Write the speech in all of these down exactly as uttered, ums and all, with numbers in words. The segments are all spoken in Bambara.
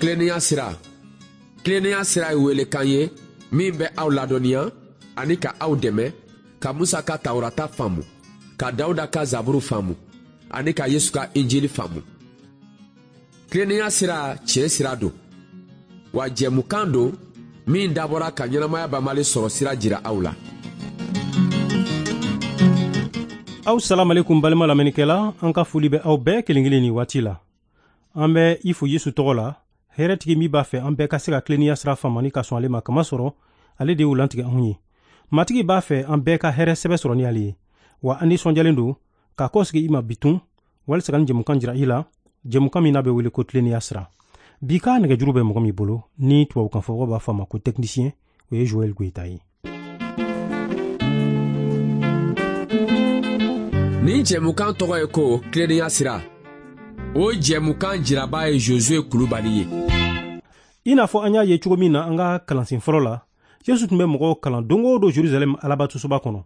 Tilennenya sira. Tilennenya sira ye welekan ye min bɛ aw ladɔnniya ani ka aw dɛmɛ ka Musa ka Tawurata faamu, ka Dawuda ka Zaburu faamu ani ka Yesu ka Injili faamu. Tilennenya sira tiɲɛ sira don, wa jɛmukan don min dabɔra ka ɲɛnamaya banbali sɔrɔ sira jira aw la. Aw salamalekum balima lamɛnnikɛla, an ka foli bɛ aw bɛɛ kelen kelen nin waati la. An bɛ i fo Yesu tɔgɔ la, hɛrɛtigi min b'a fɛ an bɛɛ ka se ka tilennenya sira faamu ani ka sɔn ale ma, kamasɔrɔ ale de y'o lantigɛ anw ye. Matigi b'a fɛ an bɛɛ ka hɛrɛ sɛbɛ sɔrɔ ni ale ye, wa an nisɔndiyalen don k'a kɔsigi i ma bitun walisa ka nin jɛmukan jira i la, jɛmukan min n'a bɛ wele ko tilennenya sira. Bi ka nɛgɛjuru bɛ mɔgɔ min bolo ni tubabukanfɔmɔgɔw b'a fɔ a ma ko technicien, o ye Joël Goyita ye. Nin jɛmukan tɔgɔ ye ko tilennenya sira. O jɛmukan jiraba ye Josué Kulubali ye. I n'a fɔ an y'a ye cogo min na an ka kalansen fɔlɔ la, Yesu tun bɛ mɔgɔw kalan don o don Jerusalɛm Alabatosoba kɔnɔ.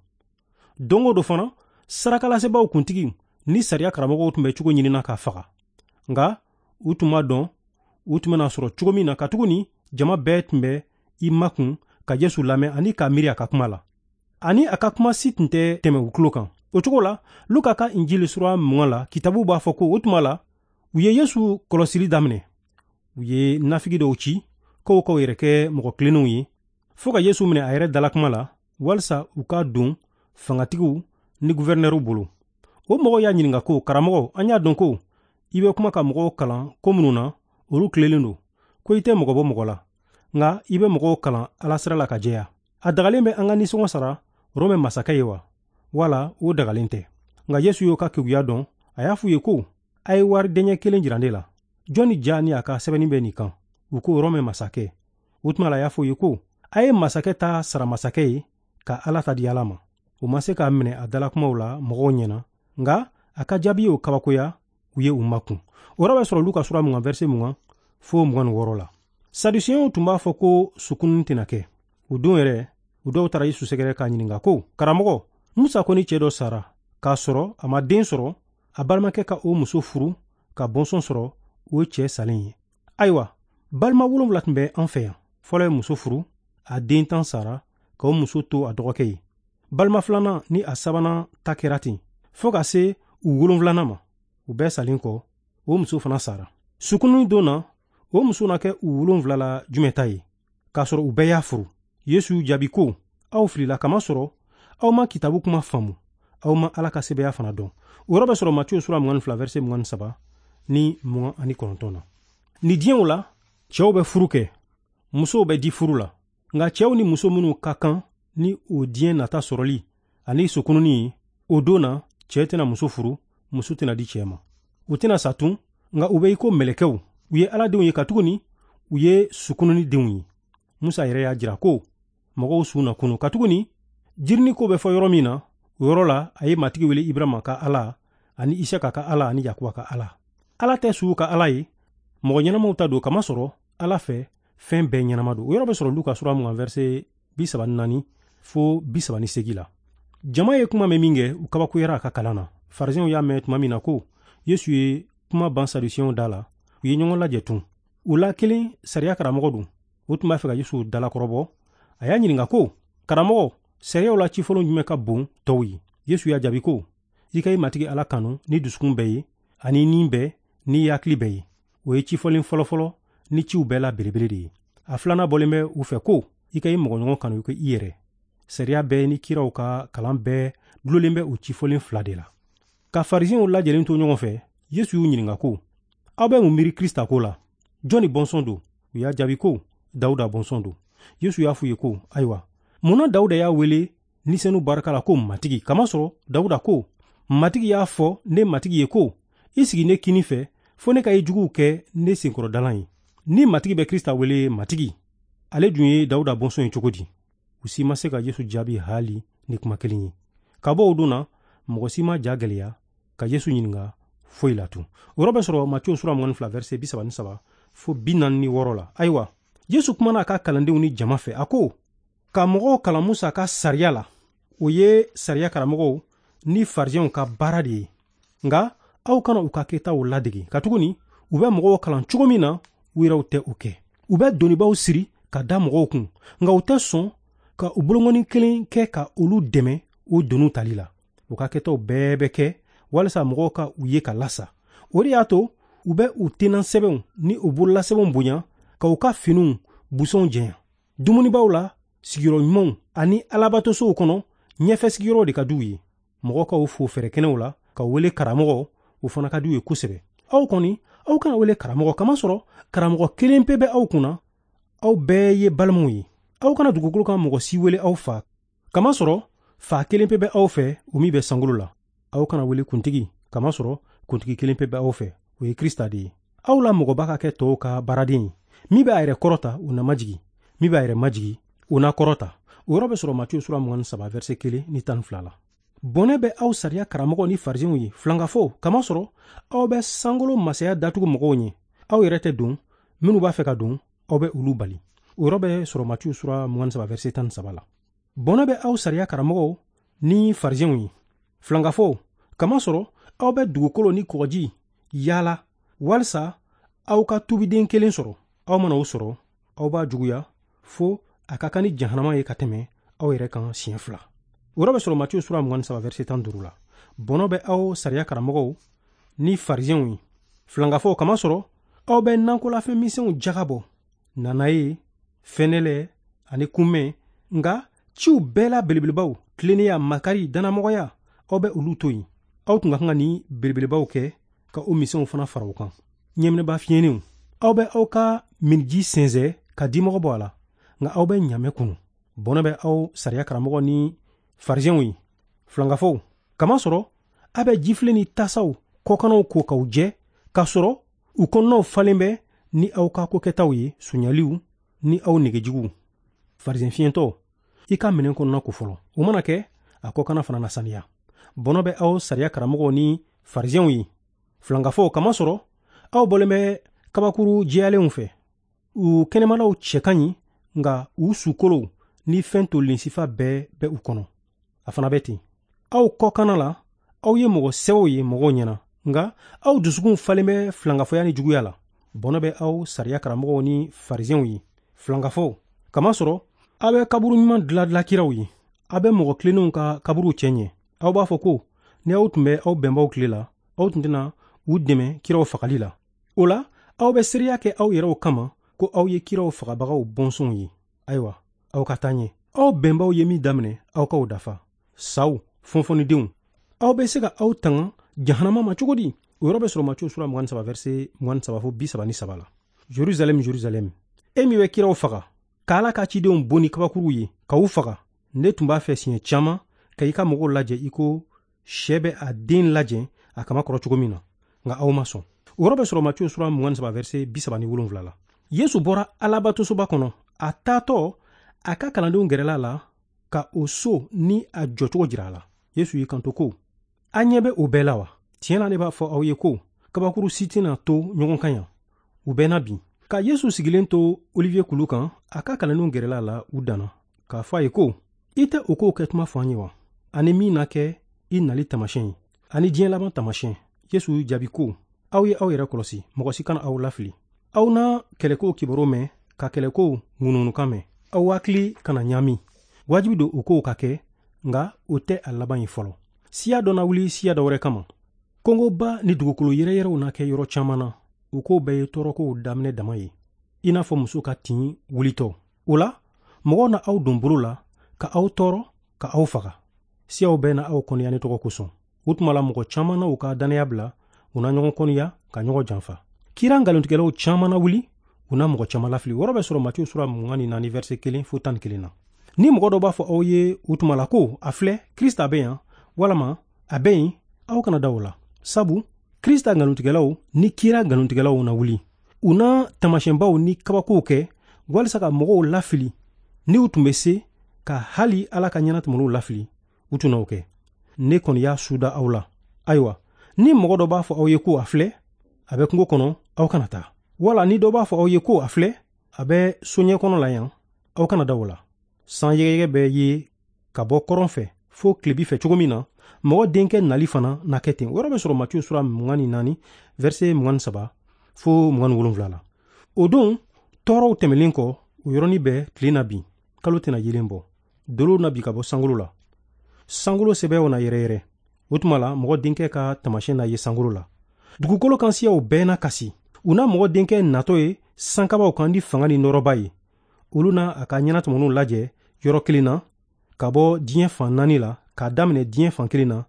Don o don fana, sarakalasebaaw kuntigi ni sariya karamɔgɔw tun bɛ cogo ɲinina k'a faga. Nka u tun ma dɔn u tun bɛna sɔrɔ cogo min na, katuguni jama bɛɛ tun bɛ i makun ka Yesu lamɛn ani k'a miiri a ka kuma la. Ani a ka kuma si tun tɛ tɛmɛ u tulo kan. O cogo la, Luka ka Injili sura mugan la, kitabu b'a fɔ ko o tuma la, u ye Yesu kɔlɔsili daminɛ. U ye nafigi dɔw ci k'o k'o yɛrɛ kɛ mɔgɔ tilennenw ye, fo ka Yesu minɛ a yɛrɛ dalakuma la, walisa u ka don fangatigiw ni guvɛrinɛriw bolo. O mɔgɔw y'a ɲininka ko, karamɔgɔ, an y'a dɔn ko i bɛ kuma ka mɔgɔw kalan ko minnu na, olu tilelen don, ko i tɛ mɔgɔ bɔ mɔgɔ la, nka i bɛ mɔgɔw kalan Ala sira la ka jɛya. A dagalen bɛ an ka nisɔngɔ sara Rɔmɛ masakɛ ye wa? Wala o dagalen tɛ? Nka Yesu y'o ka keguya dɔn, a y'a f'u ye ko, a ye wari dɛɲɛ kelen jira ne la. Jɔnni ja ni a ka sɛbɛnni bɛ nin kan? U ko Rɔmɛ masakɛ. O tuma la a y'a f'u ye ko, a ye masakɛ ta sara masakɛ ye, ka Ala ta di Ala ma. U ma se k'a minɛ a dalakumaw la mɔgɔw ɲɛna, nka a ka jaabi y'o kabakoya, u ye u makun. O yɔrɔ bɛ sɔrɔ Luka sura mugan verset mugan fo mugan ni wɔɔrɔ la. Sadusiyɛnw tun b'a fɔ ko sukununi tɛna kɛ. O don yɛrɛ, u dɔw taara Yesu sɛgɛrɛ k'a ɲininka ko, karamɔgɔ, Musa ko ni cɛ dɔ sara k'a sɔrɔ a ma den sɔrɔ, a balimakɛ ka o muso furu ka bɔnsɔn sɔrɔ o cɛ salen ye. Ayiwa, balima wolonwula tun bɛ an fɛ yan. Fɔlɔ ye muso furu, a den tan sara ka o muso to a dɔgɔkɛ ye. Balima filanan ni a sabanan ta kɛra ten, fo ka se u wolonwulanan ma. U bɛɛ salen kɔ, o muso fana sara. Sukununi don na, o muso na kɛ u wolonwula la jumɛn ta ye, k'a sɔrɔ u bɛɛ y'a furu? Yesu y'u jaabi ko, aw filila, kamasɔrɔ aw ma kitabu kuma faamu, aw ma Ala ka sɛbɛya fana dɔn. O yɔrɔ bɛ sɔrɔ Matiyo sura mugan ni fila verset mugan ni saba ni mugan ani kɔnɔntɔn na. Ni diɲɛw la, cɛw bɛ furu kɛ, musow bɛ di furu la. Nka cɛw ni muso minnu ka kan ni o diɲɛ nata sɔrɔli ani sokununi ye, o don na cɛ tɛna muso furu, muso tɛna di cɛ ma. U tɛna sa tun, nka u bɛ i ko mɛlɛkɛw. U ye Ala denw ye, katuguni u ye sukununi denw ye. Musa yɛrɛ y'a jira ko mɔgɔw su na kunu, katuguni jirini ko bɛ fɔ yɔrɔ min na, o yɔrɔ la a ye Matigi wele Ibrahima ka Ala ani Isaka ka Ala ani Yakuba ka Ala. Ala tɛ suw ka Ala ye, mɔgɔ ɲɛnamaw ta don, kamasɔrɔ Ala fɛ fɛn bɛɛ ɲɛnama don. O yɔrɔ bɛ sɔrɔ Luka sura mugan verset bi saba ni naani fo bi saba ni seegin la. Jama ye kuma mɛn min kɛ, u kabakoyara a ka kalan na. Farisɛnw y'a mɛn tuma min na ko Yesu ye kuma ban Sadusiyɛnw da la, u ye ɲɔgɔn lajɛ tun. U la kelen sariya karamɔgɔ don, o tun b'a fɛ ka Yesu dalakɔrɔbɔ. A y'a ɲininka ko, karamɔgɔ, sariyaw la cifɔlen jumɛn ka bon tɔw ye? Yesu y'a jaabi ko, i ka i Matigi Ala kanu ni dusukun bɛɛ ye, ani ni bɛɛ, ni hakili bɛɛ ye. O ye cifɔlen fɔlɔfɔlɔ ni ciw bɛɛ la belebele de ye. A filanan bɔlen bɛ u fɛ ko, i ka i mɔgɔɲɔgɔn kanu i ko i yɛrɛ. Sariya bɛɛ ni kiraw ka kalan bɛɛ dulolen bɛ o cifɔlen fila de la. Ka Farisɛnw lajɛlen to ɲɔgɔn fɛ, Yesu y'u ɲininka ko, aw bɛ mun miiri Krista ko la? Jɔnni bɔnsɔn don? U y'a jaabi ko, Dawuda bɔnsɔn don. Yesu y'a f'u ye ko, ayiwa, mun na Dawuda y'a wele Ni Senu barika la ko Matigi? Kamasɔrɔ Dawuda ko, Matigi y'a fɔ ne Matigi ye ko, i sigi ne kini fɛ fo ne ka i juguw kɛ ne senkɔrɔdalan ye. Ni Matigi bɛ Krista wele Matigi, ale dun ye Dawuda bɔnsɔn ye cogo di? U si ma se ka Yesu jaabi hali ni kuma kelen ye. Ka bɔ o don na, mɔgɔ si ma ja gɛlɛya ka Yesu ɲininka foyi la tun. O yɔrɔ bɛ sɔrɔ Matiyo sura mugan ni fila verset bi saba ni saba fo bi naani ni wɔɔrɔ la. Ayiwa, Yesu kumana a ka kalandenw ni jama fɛ, a ko, ka mɔgɔw kalan Musa ka sariya la, o ye sariya karamɔgɔw ni farisɛnw ka baara de ye. Nka aw kana u ka kɛtaw ladege, katuguni u bɛ mɔgɔw kalan cogo min na, u yɛrɛw tɛ o kɛ. U bɛ donibaw siri ka da mɔgɔw kun, nka u tɛ sɔn ka u bolongɔni kelen kɛ ka olu dɛmɛ o doniw tali la. U ka kɛtaw bɛɛ bɛ kɛ walisa mɔgɔw ka u ye ka lasa. O de y'a to u bɛ u tenan sɛbɛnw ni u bololasɛbɛnw bonya ka u ka finiw busɔnw jɛnya. Dumunibaw la, sigiyɔrɔ ɲumanw ani alabatosow kɔnɔ, ɲɛfɛ sigiyɔrɔ de ka d'u ye. Mɔgɔ ka u fo fɛrɛkɛnɛw la ka wele karamɔgɔ, o fana ka d'u ye kosɛbɛ. Aw kɔni, aw kana wele karamɔgɔ, kamasɔrɔ karamɔgɔ kelen pe bɛ aw kunna, aw bɛɛ ye balimaw ye. Aw kana dugukolo kan mɔgɔ si wele aw fa, kamasɔrɔ fa kelen pe bɛ aw fɛ, o min bɛ sankolo la. Aw kana wele kuntigi, kamasɔrɔ kuntigi kelen pe bɛ aw fɛ, o ye Krista de ye. Aw la mɔgɔba ka kɛ tɔw ka baaraden ye. Min bɛ a yɛrɛ kɔrɔta, o na majigi. Min bɛ a yɛrɛ majigi, o na kɔrɔta. O yɔrɔ bɛ sɔrɔ Matiyu sura mugan ni saba verset kelen ni tan ni fila la. Bɔnɛ bɛ aw sariya karamɔgɔ ni farisenw ye, filankafo, kamasɔrɔ aw bɛ sankolo masaya datugu mɔgɔw ɲɛ. Aw yɛrɛ tɛ don, minnu b'a fɛ ka don, aw bɛ olu bali. O yɔrɔ bɛ sɔrɔ Matiyu sura mugan ni saba verset tan ni saba la. Bɔnɛ bɛ aw sariya karamɔgɔw ni farisenw ye, filankafo, kamasɔrɔ aw bɛ dugukolo ni kɔgɔji yaala walisa aw ka tubiden kelen sɔrɔ. Aw mana o sɔrɔ, aw b'a juguya fo a ka kan ni jahanama ye ka tɛmɛ aw yɛrɛ kan siɲɛ fila. O yɔrɔ bɛ sɔrɔ Matiyu sura mugan ni saba verset tan duuru la. Bɔnɔ bɛ aw sariya karamɔgɔw ni farisenw ye, filankafɔw, kamasɔrɔ aw bɛ nankolafɛn misɛnw jaga bɔ, nanaye, fɛnɛlɛ ani kunmɛn, nka ciw bɛɛ la belebelebaw, tilennenya, makari, dannamɔgɔya, aw bɛ olu to yen. Aw tun ka kan ka nin belebelebaw kɛ ka o misɛnw fana fara o kan. Ɲɛminɛba fiɲɛnenw, aw bɛ aw ka miniji sɛnsɛn ka dimɔgɔ bɔ a la, nka aw bɛ ɲamɛ kunu. Bɔnɛ bɛ aw sariya karamɔgɔ ni farisenw ye, filankafɔw, kamasɔrɔ a bɛ jifilen ni tasaw kɔkannaw ko k'aw jɛ, k'a sɔrɔ u kɔnɔnaw falen bɛ ni aw ka kokɛtaw ye, sonyaliw ni aw negejuguw. Farisen fiɲɛtɔ, i ka minɛn kɔnɔna ko fɔlɔ, o mana kɛ a kɔkanna fana na saniya. Bɔnɔ bɛ aw sariya karamɔgɔw ni farisenw ye, filankafɔw, kamasɔrɔ aw bɔlen bɛ kabakuru jɛyalenw fɛ. U kɛnɛmalaw cɛ ka ɲi, nka u sukolow ni fɛn tolen sifa bɛɛ bɛ u kɔnɔ. A fana bɛ ten. Aw kɔkanna la, aw ye mɔgɔ sɛbɛw ye mɔgɔw ɲɛna, nka aw dusukun falen bɛ filankafɔya ni juguya la. Bɔnɛ bɛ aw sariya karamɔgɔw ni farisenw ye, filankafɔw, kamasɔrɔ aw bɛ kaburu ɲuman dilan kiraw ye. Aw bɛ mɔgɔ tilennenw ka kaburuw cɛ ɲɛ. Aw b'a fɔ ko ni aw tun bɛ aw bɛnbaw tile la, aw tun tɛna u dɛmɛ kiraw fagali la. O la, aw bɛ seereya kɛ aw yɛrɛw kama ko aw ye kiraw fagabagaw bɔnsɔnw ye. Ayiwa, aw ka taa ɲɛ. Aw bɛnbaw ye min daminɛ, aw k'aw dafa. Saw, fɔnfɔnnidenw, aw bɛ se ka aw tanga jahanama ma cogo di? O yɔrɔ bɛ sɔrɔ Matiyu sura mugan ni saba verset mugan ni saba fo bi saba ni saba la. Jerusalɛm, Jerusalɛm, e min bɛ kiraw faga, k'Ala ka cidenw bon ni kabakuruw ye, k'u faga. Ne tun b'a fɛ siɲɛ caman ka i ka mɔgɔw lajɛ i ko sɛ bɛ a den lajɛ a kama kɔrɔ cogo min na, nka aw ma sɔn. O yɔrɔ bɛ sɔrɔ Matiyu sura mugan ni saba verset bi saba ni wolonwula la. Yesu bɔra alabatosoba kɔnɔ, a taatɔ a ka kalandenw gɛrɛla la ka o so ni a jɔcogo jira a la. Yesu y'i kanto ko, a ɲɛ bɛ o bɛɛ la wa? Tiɲɛ na, ne b'a fɔ aw ye ko kabakuru si tɛna to ɲɔgɔn kan yan, u bɛɛ na bin. Ka Yesu sigilen to Olivier kulu kan, a ka kalandenw gɛrɛla a la u danna k'a fɔ a ye ko, i tɛ o kow kɛ tuma fɔ an ye wa? Ani min na kɛ i nali taamasiyɛn ye, ani diɲɛ laban taamasiyɛn. Yesu y'u jaabi ko, aw ye aw yɛrɛ kɔlɔsi, mɔgɔ si kana aw lafili. Aw na kɛlɛkow kibaru mɛn, ka kɛlɛkow ŋunuŋunukan mɛn. Aw hakili kana ɲaami. Wajibi don o kow ka kɛ, nka o tɛ a laban ye fɔlɔ. Siya dɔ na wuli siya dɔ wɛrɛ kama. Kɔngɔba ni dugukolo yɛrɛyɛrɛw na kɛ yɔrɔ caman na. O kow bɛɛ ye tɔɔrɔkow daminɛ dama ye, i n'a fɔ muso ka tin wulitɔ. O la, mɔgɔw na aw don bolo la ka aw tɔɔrɔ, ka aw faga. Siyaw bɛɛ na aw kɔniya ne tɔgɔ kosɔn. O tuma la, mɔgɔ caman na u ka dannaya bila, u na ɲɔgɔn kɔniya ka ɲɔgɔn janfa. Kira nkalontigɛlaw caman na wuli, u na mɔgɔ caman lafili. O yɔrɔ bɛ sɔrɔ Matiyu sura mugan ni naani verset kelen fo tan ni kelen na. Ni mɔgɔ dɔ b'a fɔ aw ye o tuma la ko a filɛ, Krista bɛ yan, walama a bɛ yen, aw kana da o la. Sabu Krista nkalontigɛlaw ni kira nkalontigɛlaw na wuli. U na taamasiyɛnbaw ni kabakow kɛ walisa ka mɔgɔw lafili. Ni u tun bɛ se ka hali Ala ka ɲɛnatɔmɔliw lafili, u tun n'o kɛ. Ne kɔni y'a suda aw la. Ayiwa, ni mɔgɔ dɔ b'a fɔ aw ye ko a filɛ, a bɛ kungo kɔnɔ, aw kana taa. Wala ni dɔ b'a fɔ aw ye ko a filɛ, a bɛ soɲɛ kɔnɔ la yan, aw kana da o la. San yɛgɛyɛgɛ bɛ ye ka bɔ kɔrɔn fɛ fo tilebi fɛ cogo min na, mɔgɔ denkɛ nali fana na kɛ ten. O yɔrɔ bɛ sɔrɔ Matiyu sura mugan ni naani verset mugan ni saba fo mugan ni wolonwula la. O don tɔɔrɔw tɛmɛlen kɔ, o yɔrɔnin bɛɛ tile na bin, kalo tɛna yeelen bɔ, dolow na bin ka bɔ sankolo la, sankolo sɛbɛw na yɛrɛyɛrɛ. O tuma la mɔgɔ denkɛ ka taamasiyɛn na ye sankolo la. Dugukolo kan siyaw bɛɛ na kasi. U na mɔgɔ denkɛ natɔ ye sankabaw kan ni fanga ni nɔrɔba ye. Olu na a ka ɲɛnatɔmɔniw lajɛ yɔrɔ kelen na, ka bɔ diɲɛ fan naani la, k'a daminɛ diɲɛ fan kelen na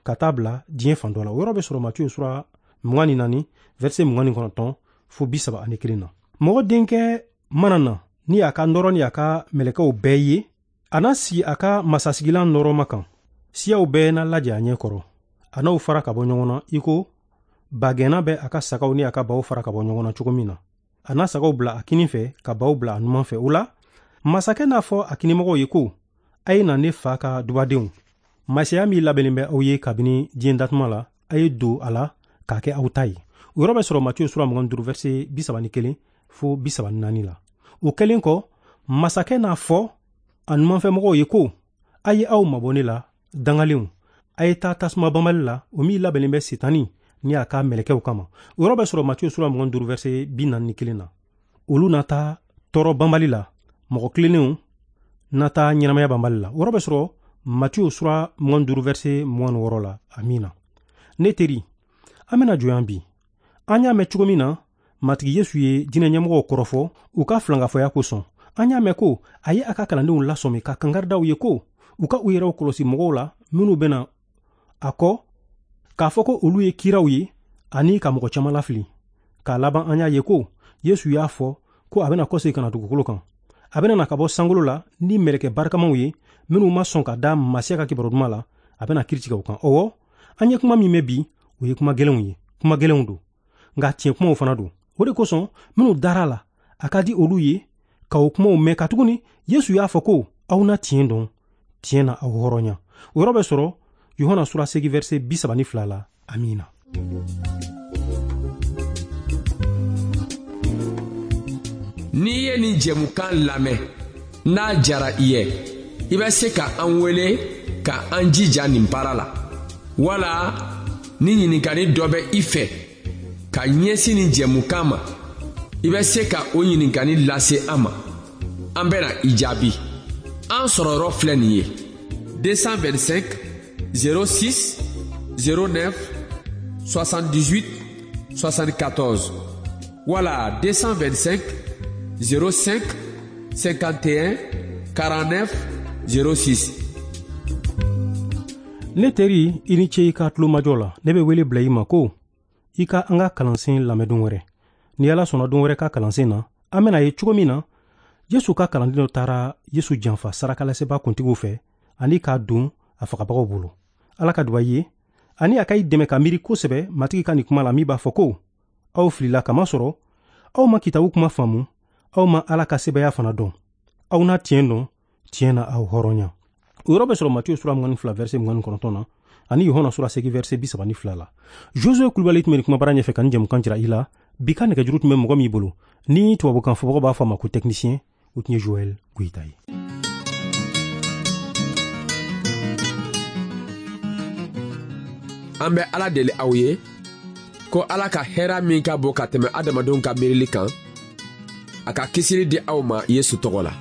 ka taa bila diɲɛ fan dɔ la. O yɔrɔ bɛ sɔrɔ Matiyu sura mugan ni naani verset mugan ni kɔnɔntɔn fo bi saba ani kelen na. Mɔgɔ denkɛ mana na ni a ka nɔrɔ ni a ka mɛlɛkɛw bɛɛ ye, a na sigi a ka masasigilan nɔrɔma kan. Siyaw bɛɛ na lajɛ a ɲɛ kɔrɔ. A n'aw fara ka bɔ ɲɔgɔn na i ko bagɛnna bɛ a ka sagaw ni a ka baw fara ka bɔ ɲɔgɔn na cogo min na. A na sagaw bila a kinin fɛ ka baw bila a numan fɛ. O la masakɛ n'a fɔ a kinimɔgɔw ye ko, a ye na ne fa ka dubadenw, masaya min labɛnnen bɛ aw ye kabini diɲɛ datuma la, a ye don a la k'a kɛ aw ta ye. O yɔrɔ bɛ sɔrɔ Matiyu sura mugan ni duuru verset bi saba ni kelen fo bi saba ni naani la. O kɛlen kɔ, masakɛ n'a fɔ a numanfɛmɔgɔw ye ko, a ye aw mabɔ ne la dangalenw, a ye taa tasuma banbali la, o min labɛnnen bɛ Setani ni a ka mɛlɛkɛw kama. O yɔrɔ bɛ sɔrɔ Matiyu sura mugan ni duuru verset bi naani ni kelen na. Olu na taa tɔɔrɔ banbali la, mɔgɔ tilennenw na taa ɲɛnamaya banbali la. O yɔrɔ bɛ sɔrɔ Matiyu sura mugan ni duuru verset mugan ni wɔɔrɔ la. Amiina. Ne teri, an bɛna jɔ yan bi. An y'a mɛn cogo min na Matigi Yesu ye diinɛ ɲɛmɔgɔw kɔrɔfɔ u ka filankafɔya kosɔn. An y'a mɛn ko a ye a ka kalandenw lasɔmi ka kankari ye ko u ka u yɛrɛw kɔlɔsi mɔgɔw la minnu bɛna a kɔ k'a fɔ ko olu ye kiraw ye ani ka mɔgɔ caman lafili. K'a laban an y'a ye ko Yesu y'a fɔ ko a bɛna kɔsegin ka na dugukolo kan. A bɛna na ka bɔ sankolo la ni mɛlɛkɛ barikamaw ye minnu ma sɔn ka da Masiya ka kibaru duman la, a bɛna kiiri tigɛ u kan. Ɔwɔ, an ye kuma min mɛn bi, o ye kuma gɛlɛnw ye, kuma gɛlɛnw don, nka tiɲɛ kumaw fana don. O de kosɔn minnu dara la, a ka di olu ye ka o kumaw mɛn, katuguni Yesu y'a fɔ ko aw na tiɲɛ dɔn, tiɲɛ na aw hɔrɔnya. O yɔrɔ bɛ sɔrɔ Yohana sura seegin verset bi saba ni fila la. Amiina. N'i ye nin jɛmukan lamɛn, n'a jara i ye, i bɛ se ka an wele ka an jija nin baara la. Wala ni ɲininkali dɔ bɛ i fɛ ka ɲɛsin nin jɛmukan ma, i bɛ se ka o ɲininkali lase an ma. An bɛna i jaabi. An sɔrɔyɔrɔ filɛ nin ye: deux cent vingt-cinq zéro six zéro neuf soixante-dix-huit soixante-quatorze wala deux cent vingt-cinq zéro cinq cinquante et un quarante-neuf zéro six. Ne teri, i ni ce i ka tulomajɔ la. Ne bɛ wele bila i ma ko i ka an ka kalansen lamɛn don wɛrɛ. Ni Ala sɔnna don wɛrɛ ka kalansen na, an bɛna ye cogo min na Yesu ka kalanden dɔ taara Yesu janfa sarakalasebaa kuntigiw fɛ ani k'a don a fagabagaw bolo. Ala ka duba i ye ani a ka i dɛmɛ ka miiri kosɛbɛ Matigi ka nin kuma la min b'a fɔ ko aw filila kamasɔrɔ aw ma kitabu kuma faamu, aw ma Ala ka sebaaya fana dɔn. Aw na tiɲɛ dɔn, tiɲɛ na aw hɔrɔnya. O yɔrɔ bɛ sɔrɔ Matiyu sura mugan ni fila verset mugan ni kɔnɔntɔn na ani Yohana sura seegin verset bi saba ni fila la. Josue Kulubali tun bɛ nin kumabara ɲɛfɛ ka nin jɛmukan jira i la. Bi ka nɛgɛjuru tun bɛ mɔgɔ min bolo ni tubabukan fɔbagaw b'a fɔ a ma ko technicien, o tun ye Joël Goyita ye. An bɛ Ala deli aw ye ko Ala ka hɛrɛ min ka bon ka tɛmɛ adamadenw ka miirili kan, a ka kisili di aw ma Yesu tɔgɔ la.